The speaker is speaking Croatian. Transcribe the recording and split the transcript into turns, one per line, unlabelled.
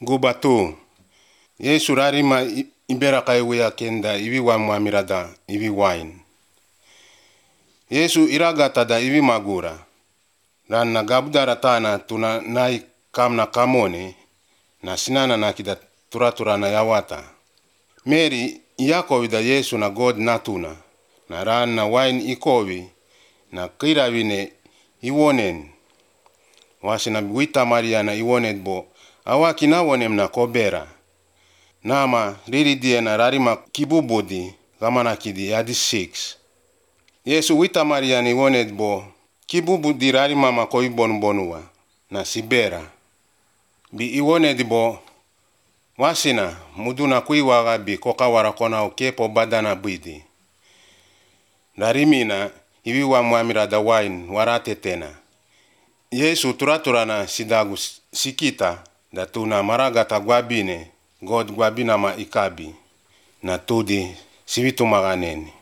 Gubatu. Yesu rarima iberaka iwea kenda iwi wamuamirada iwi wine. Yesu iragata da iwi magura. Ranna gabudara tana tuna nai kamna kamone na sinana nakida turaturana yawata. Mary Yakowi da Yesu na God natuna. Na ranna wine ikowi na kirawine iwonen. Wasina wita Maria na iwonet bo awaki na wonem na kobera. Nama riridie na rarima kibubudi gamana kidi yadi 6. Yesu wita Maria ni wonet bo kibubudi rarima makoi bonbonua na sibera. Bi iwonet bo wasina muduna kuiwaga bi kokawara kona ukepo badana bidi. Darimina iwi wa muamirada wine warate tena. Yesu turaturana sidagu sikita da tuna maragata gwabine God gwabina ma ikabi na tudi sivitu maganeni.